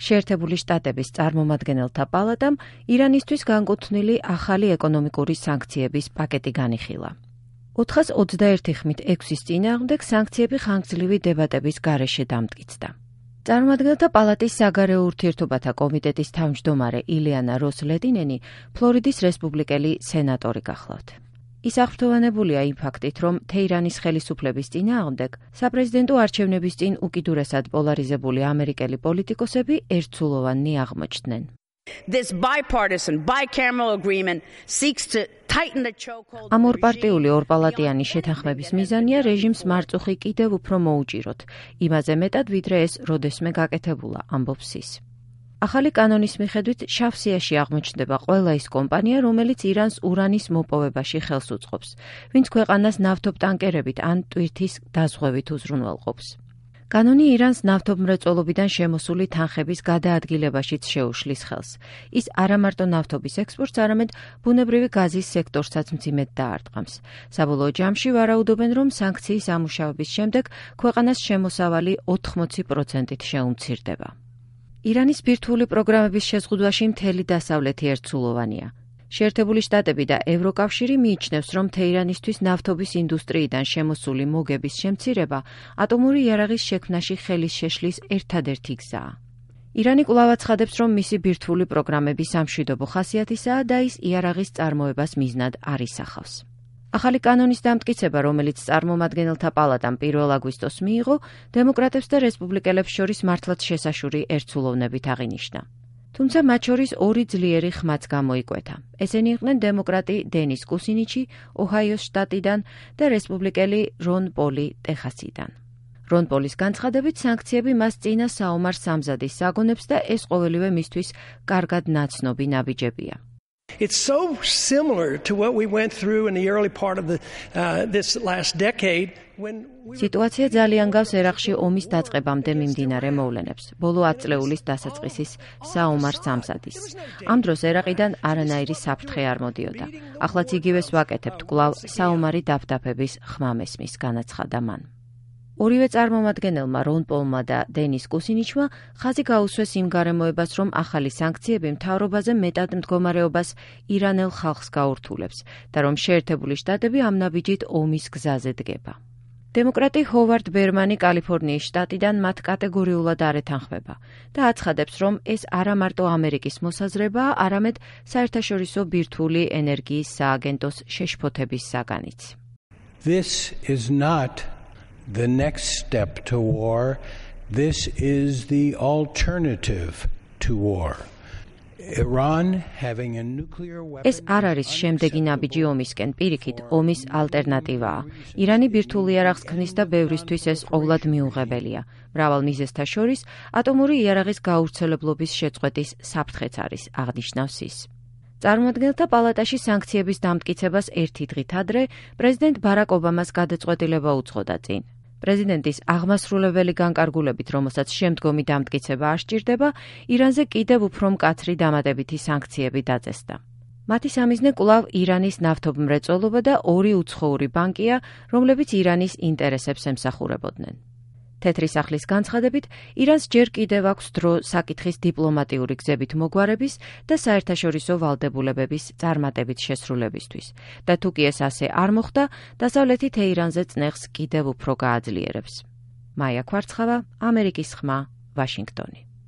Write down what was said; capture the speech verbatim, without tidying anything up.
შეერთებული შტატების წარმომადგენელთა პალატამ ირანისთვის განკუთვნილი ახალი ეკონომიკური სანქციების პაკეტი განიხილა. ოთხას ოცდაერთი ხმით ექვსის წინააღმდეგ სანქციები ხანგრძლივი დებატების გარეშე დამტკიცდა. წარმომადგენელთა პალატის საგარეო ურთიერთობათა კომიტეტის თავმჯდომარე ილიანა როს-ლედინენი ფლორიდის რესპუბლიკელი სენატორი გახლავთ. ის აღფრთოვანებულია იმ ფაქტით, რომ თეირანის ხელისუფლების წინააღმდეგ საპრეზიდენტო არჩევნების წინ უკიდურესად პოლარიზებული ამერიკელი პოლიტიკოსები ერთსულოვანი აღმოჩნდნენ. This bipartisan bicameral agreement seeks to tighten the chokehold. ამ ორპარტიული ორპალატიანი შეთანხმების მიზანია რეჟიმს მარწუხი კიდევ უფრო მოუჭიროთ, იმაზე მეტად ვიდრე ეს როდესმე გაკეთებულა, ამბობს ის. ახალი კანონის მიხედვით შავსიაში აღმოჩნდება ყველა ის კომპანია, რომელიც ირანს ურანის მოპოვებაში ხელს უწყობს, ვინც ქვეყანას ნავთობტანკერებით ან ტვირთის დაზღვევით უზრუნველყოფს. კანონი ირანს ნავთობმრეწველობიდან შემოსული თანხების გადაადგილებაშიც შეუშლის ხელს. ის არამარტო ნავთობის ექსპორტს, არამედ ბუნებრივი გაზის სექტორსაც მძიმედ დაარტყამს. საბოლოო ჯამში ვარაუდობენ, რომ სანქციის ამუშავების შემდეგ ქვეყანას შემოსავალი ოთხმოცი პროცენტით შეუმცირდება. ირანის ბირთვული პროგრამების შეზღუდვაში მთელი დასავლეთი ერთსულოვანია. შეერთებული შტატები და ევროკავშირი მიიჩნევს, რომ თეირანისთვის ნავთობის ინდუსტრიიდან შემოსული მოგების შემცირება ატომური იარაღის შექმნაში ხელის შეშლის ერთადერთი გზაა. ირანი კვლავ აცხადებს, რომ მისი ბირთვული პროგრამები სამშვიდობო ხასიათისაა და ის იარაღის წარმოებას მიზნად არ ისახავს. ახალი კანონის დამტკიცება, რომელიც წარმომადგენელთა პალატამ პირველ აგვისტოს მიიღო, დემოკრატებს და რესპუბლიკელებს შორის მართლაც შესაშური ერთსულოვნებით აღინიშნა. თუმცა მათ შორის ორი ძლიერი ხმაც გამოიკვეთა. ესენი იყვნენ დემოკრატი დენის კუსინიჩი ოჰაიოს შტატიდან და რესპუბლიკელი რონ პოლი ტეხასიდან. რონ პოლის განცხადებით, სანქციები მას წინა საომარ სამზადის საგონებს და ეს ყოველივე მისთვის კარგად ნაცნობი ნაბიჯებია. It's so similar to what we went through in the early part of the, uh, this last decade when we სიტუაცია ძალიან გავს ერაყში ომის დაწყებამდე მიმდინარე მოვლენებს, ბოლო ათ წლეულის დასაწყისის საომარ სამზადის. ამ დროს ერაყიდან არანაირი საფრთხე არ მოდიოდა. ახლაც იგივეს ვაკეთებთ კვლავ საომარი დაფდაფების ხმამესმის, განაცხადა მან. ორივე წარმომადგენელმა რონ პოლმა და დენის კუსინიჩმა ხაზი გაუსვეს იმ გარემოებას, რომ ახალი სანქციები მთავრობაზე მეტად მდგომარეობას ირანელ ხალხს გაურთულებს და რომ შეერთებული შტატები ამ ნაბიჯით ომის გზაზე დგება. დემოკრატი ჰოვარდ ბერმანი კალიფორნიის შტატიდან მათ კატეგორიულად არ ეთანხმება და აცხადებს, რომ ეს არა მარტო ამერიკის მოსაზრებაა, არამედ საერთაშორისო ბირთვული ენერგიის სააგენტოს შეშფოთების საგანიც. This is not the next step to war. This is the alternative to war. Iran having a nuclear weapon. ეს არ არის შემდეგი ნაბიჯი ომისკენ, პირიქით, ომის ალტერნატივაა. ირანი ბირთვულ იარაღს ქმნის და ბევრისთვის ეს ყოვლად მიუღებელია. მრავალ მიზეზთა შორის ატომური იარაღის გაავრცელებლობის შეწყვეტის საფრთხეც არის, აღნიშნავს ის. წარმომადგენელთა პალატაში სანქციების დამტკიცებას ერთი დღით ადრე პრეზიდენტ ბარაკ ობამას გადაწყვეტილება უძღოდა წინ. პრეზიდენტის აღმასრულებელი განკარგულებით, რომელსაც შემდგომი დამტკიცება არ სჭირდება, ირანზე კიდევ უფრო მკაცრი დამატებითი სანქციები დაწესდა. მათი სამიზნე კვლავ ირანის ნავთობმრეწველობა და ორი უცხოური ბანკია, რომლებიც ირანის ინტერესებს ემსახურებოდნენ. თეთრი სახლის განცხადებით, ირანს ჯერ კიდევ აქვს დრო საკითხის დიპლომატიური გზებით მოგვარების და საერთაშორისო ვალდებულებების წარმატებით შესრულებისთვის და თუ კი ეს ასე არ მოხდა, დასავლეთი თეირანზე წნეხს კიდევ უფრო გააძლიერებს. მაია ქვარცხავა, ამერიკის ხმა, ვაშინგტონი.